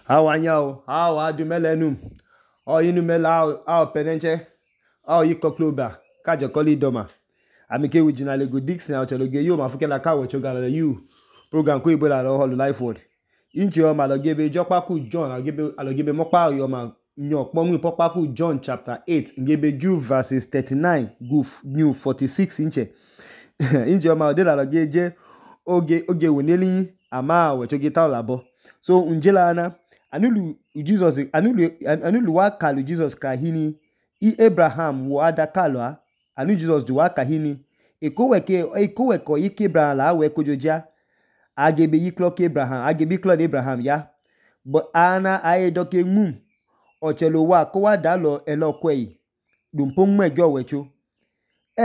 Awanyao, ao adumelenu, ao inumela ao penenche, ao ikokloba, kajokoli doma. Amike wijina lego Dixon autologe yo mafuke la kawo chogala you. Program ko ibo la lo holu life word. Inchi yo malogebe jokpaku John alogebe mokpa yo ma nyo kpomu pokpaku John chapter 8 ngebe Jude verses 39 goof new 46 inche. Inchi yo ma odela logeje oge woneli ama wechoge taolabo. So unjela ana anulu wakalu Jesus kahini Abraham wo adakalo anu Jesus du wakahini ekoweko yike Abraham la we kojoja agebe yiklo ke Abraham agebe klo Abraham ya but ana aedoke mum ochelo wa ko wa dalo elokwe dumpong mejo wecho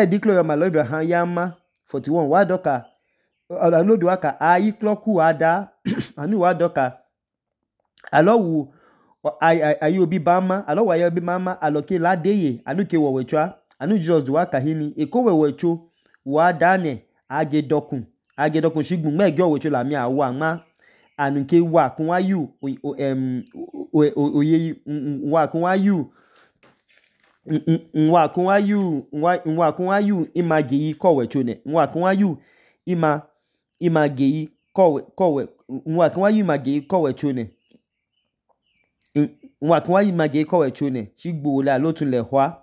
diklo yo malo Abraham yama 41 wa doka anu du waka ayiklo ku ada anu wa doka alowu ayobi bama alowu ayobi mama aloke ladeye anu ke wowechwa anu Jesus du wakahini ekowewecho wa dane agedokun shigbun mejo wecho la mi awa ma anu ke wa kun wayu oye wa kun wayu image yi kowecho ne wa kun wayu image yi kowecho ne nwakunwa image kowechone shigbu la lotun le hwa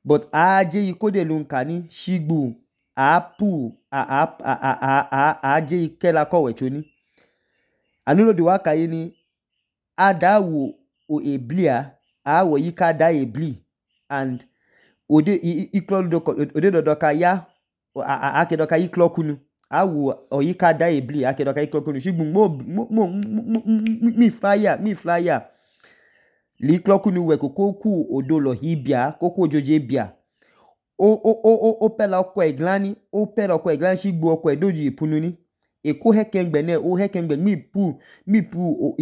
but aje yikode lunkani shigbu aje ikela kowechoni anulo di waka yini adawo o eblia awo yika da ebli and ode dodoka ya akedoka yiklo kunu awo oyika da ebli akedoka yiklo kunu shigbu mi flyer li klokunu we koku odolo hibia koku ojoje bia o pela okwe glani shigbu okwe doji ipununi eko hekengbe ne o hekengbe mi pu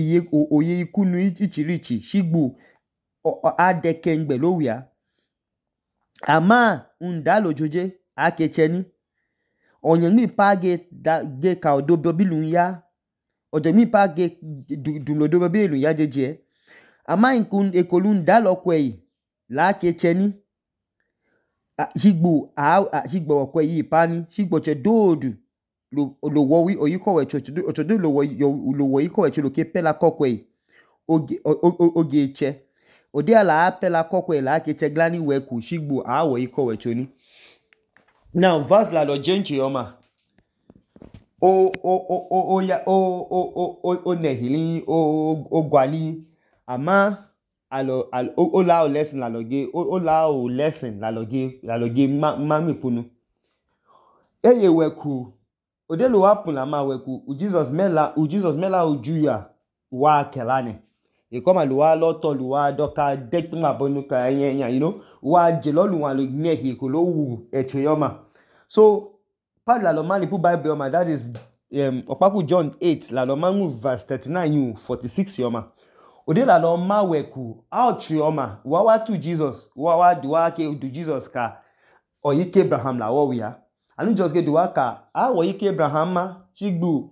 oye ikunu ichirichi shigbu adekengbe lowia ama undalo joje akecheni onye mi page ge ka odobo bilun ya odo mi page dunlodo bilun ya jeje ama ekolun dalo kwe la kecheni shigbo okwe yi pani shigbo che dodu lo wowi oyikowecho ochodo lo woyikowecho lo ke pela kokwe oge che ode ala pela kokwe la keche glani weku shigbo awo yikowecho ni now verse la lo jenchi yoma o nehili o gwali ama o lao lesson la loge mami punu eye weku odelo wapun la ma weku Jesus mela ujuya wa kelane ikoma luwa loto luwa doka dekma bonuka enya wa jelolu wa lo nehi ko lo wu echoyoma so part la lo mali pu Bible yoma that is Opaku John 8 la lo mangu verse 39 46 yoma ode la lo ma weku outri yoma wa tu Jesus wa ke du Jesus ka oyike Abraham la wo ya anu just ke du ka oyike Abraham ma shigbu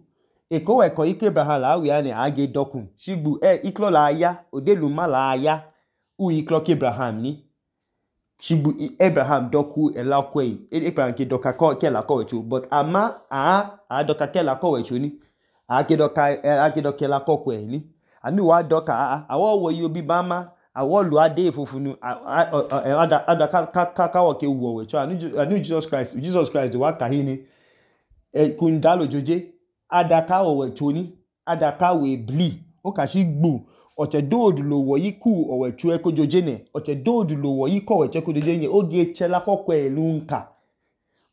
ekoweko ike Abraham la wi ne age dokun shigbu iklo la ya ode lu ma la ya iklo ke Abraham ni shigbu Abraham doku elakwe Abraham ke doka ke la kowecho but ama doka ke la kowecho ni ake doka la kokwe ni anu wa doka awo wo yobi bama awo lu ade fufunu ada ka wo ke wo wecho anu Jesus Christ wa kahini kundalo joje ada ka wo wecho ni ada ka we bli o ka shigbu oche dodu lo wo yiku owechu ekojoje ne oche dodu lo wo yiko owechu ekojoje ne oge chela kokwe lunka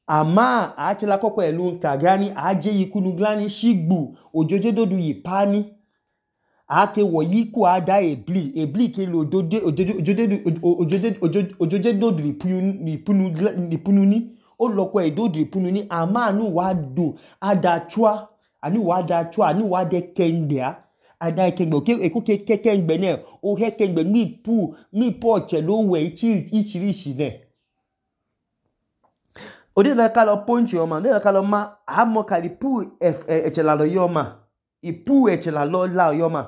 ama achela kokwe lunka gani aje yikunu glani shigbu ojoje dodu yipani ake wo yiku ada ebli ke lo ojoje dodu lipunu ni o lokwe dodu lipunu ni ama anu wa do adachwa anu wa de kendea ada ekengbe eko kekengbe ne o hekengbe mi pu ochelo we ichirishi ne ode la kalo ponchi yoma ode la kalo ma amo kali pu echela lo yoma ipu echela lo la yoma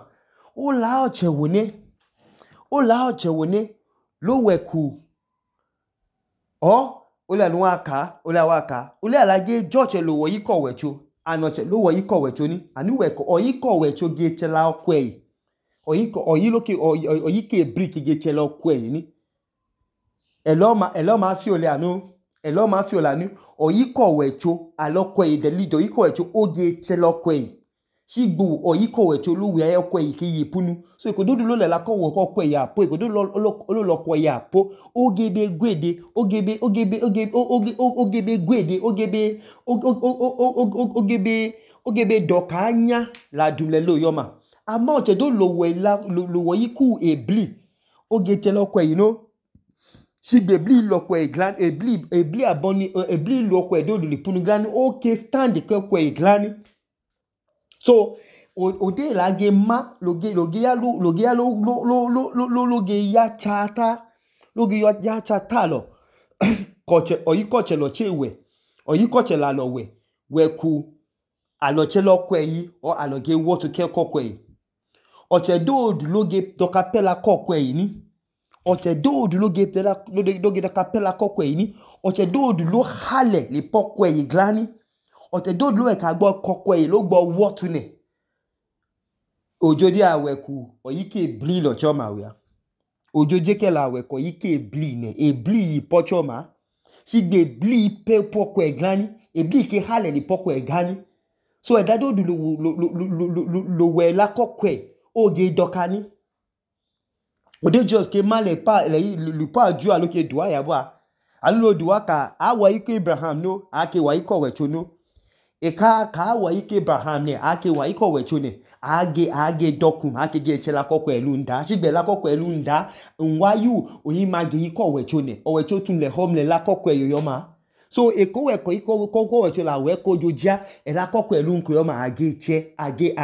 ola ochewone lo weku ole alage joche lo woyiko wecho anoche lo woyiko wecho ni anu weko oyiko wecho ge chela okwe oyike brick ge chela okwe ni elo ma fi ole anu oyiko wecho alokwe the lead oyiko wecho oge chela okwe shigbu oyiko wecho lo we okwe ki yipunu so ikododu lo lela ko wo okwe ya po ikododu lo lokwe ya po ogebe gwede ogebe doka anya la dumle lo yoma ama ochedo lo woyiku ebli oge chela okwe shigbe ebli lokwe glan ebli aboni ebli lokwe do lipunu glan oke stand ke okwe glan so ode lage ma loge ya chata lo koche oyikoche lo chewe oyikoche la lo weku aloche lo kwe yi o aloge wotu ke kokwe yi oche do loge doka pela kokwe yi ni oche do loge doka pela kokwe yi ni oche do lo hale li pokwe yi glani oche do lo eka gbo kokwe yi lo gbo wotu ne ojodi aweku oyike bli lo choma wia ojoje ke la aweku oyike bli ne ebli yi pochoma shigbe ebli pe pokwe glani ebli ke hale li pokwe gani so edado lo we la kokwe oge dokani ode just ke male pa le pa ju aloke duwa ya bwa alulo duwa ka awa ike Abraham no ake wa iko wecho no ka awa ike Abraham ne ake wa iko wecho ne age dokum ake ge chela kokwe elu nda shigbe la kokwe elu nda nwayu oyi mage iko wecho ne owecho tun le home le la kokwe yoyoma so eko weko iko wecho la weko jojia la kokwe elu nko yoma age che age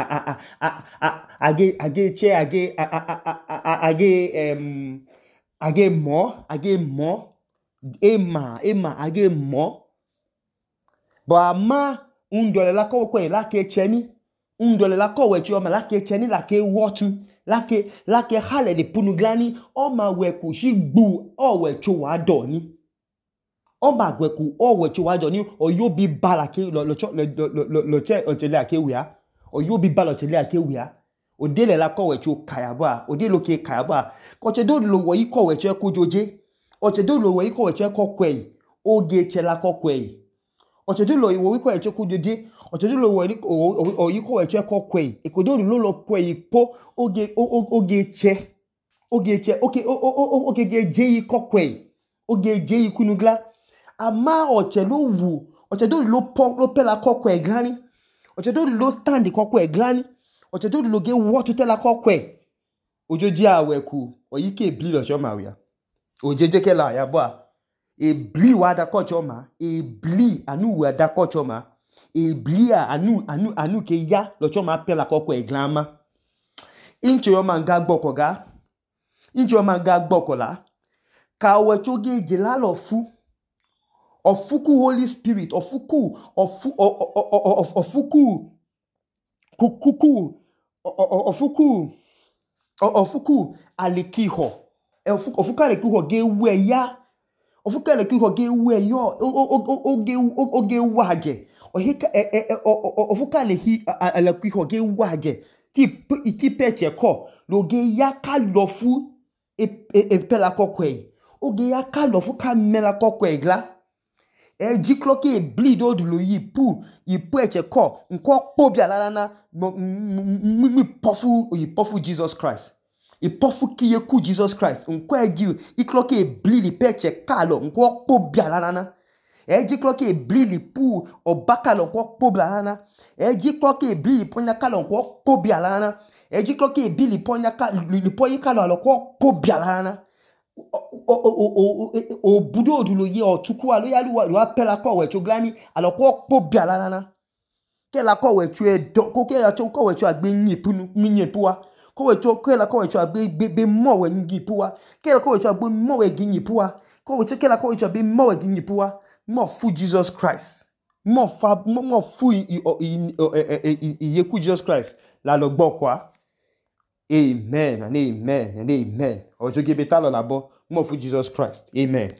mo age mo bo ama undole la kokwe la ke cheni undole la kowecho yoma la ke cheni la ke wotu la ke hale de punuglani o ma weku shigbu o wecho wa doni o ma weku o wecho wa doni oyo bi bala ke lo che ochele akewia oyo bi bala ochele akewia odele la kowecho kayaba odelo ke kayaba koche do lo wo iko wecho kojoje oche do lo wo iko wecho kokwe oge chela kokwe oche do lo wo iko wecho kojoje oche do lo wo iko wecho kokwe ikodo lo kwe ipo oge che oge ge je kokwe oge je ikunugla ama oche lo wu oche do lo pela kokwe glani oche do lo stand kokwe glani oche do lo ge wotu tela kokwe ojoji aweku oyike ebli lo choma wia ojeje ke la ya bwa ebli wa da kochoma ebli anu wa da kochoma ebli anu ke ya lo choma pela kokwe glama inche yo manga gbokoga inche yo manga gbokola ka wecho ge jela lo fu ofuku Holy Spirit ofuku alikiho ofuku alikiho ge we ya ofuku alikiho ge we yo oge waje ohika ofuku alikiho ge waje ti peche ko lo ge ya ka lo fu pela kokwe oge ya ka lo fu ka mela kokwe gla jikloke bleed odulo yipu eche ko nko pobia lalana mi pofu Jesus Christ ipofu kiyeku Jesus Christ nko eji ikloke bleed peche kalo nko pobia lalana jikloke bleed pu obakalo nko pobia lalana jikloke bleed ponya kalo nko pobia lalana jikloke bleed ponya lipoyi kalo aloko pobia lalana o budo odulo ye otuku alo ya lu apela ko wecho glani alo ko pobia lalana ke la ko wecho ko ke ya ko wecho agbe nyipuwa ko wecho ke la ko wecho agbe mo we nyipuwa ke la ko wecho agbe mo we nyipuwa ko wecho ke la ko wecho agbe mo we nyipuwa mo fu Jesus Christ mo fu yeku Jesus Christ la lo gbo kwa Amen and amen and amen. Ọjọ ge beta lọ labọ nmọfu Jesus Christ. Amen.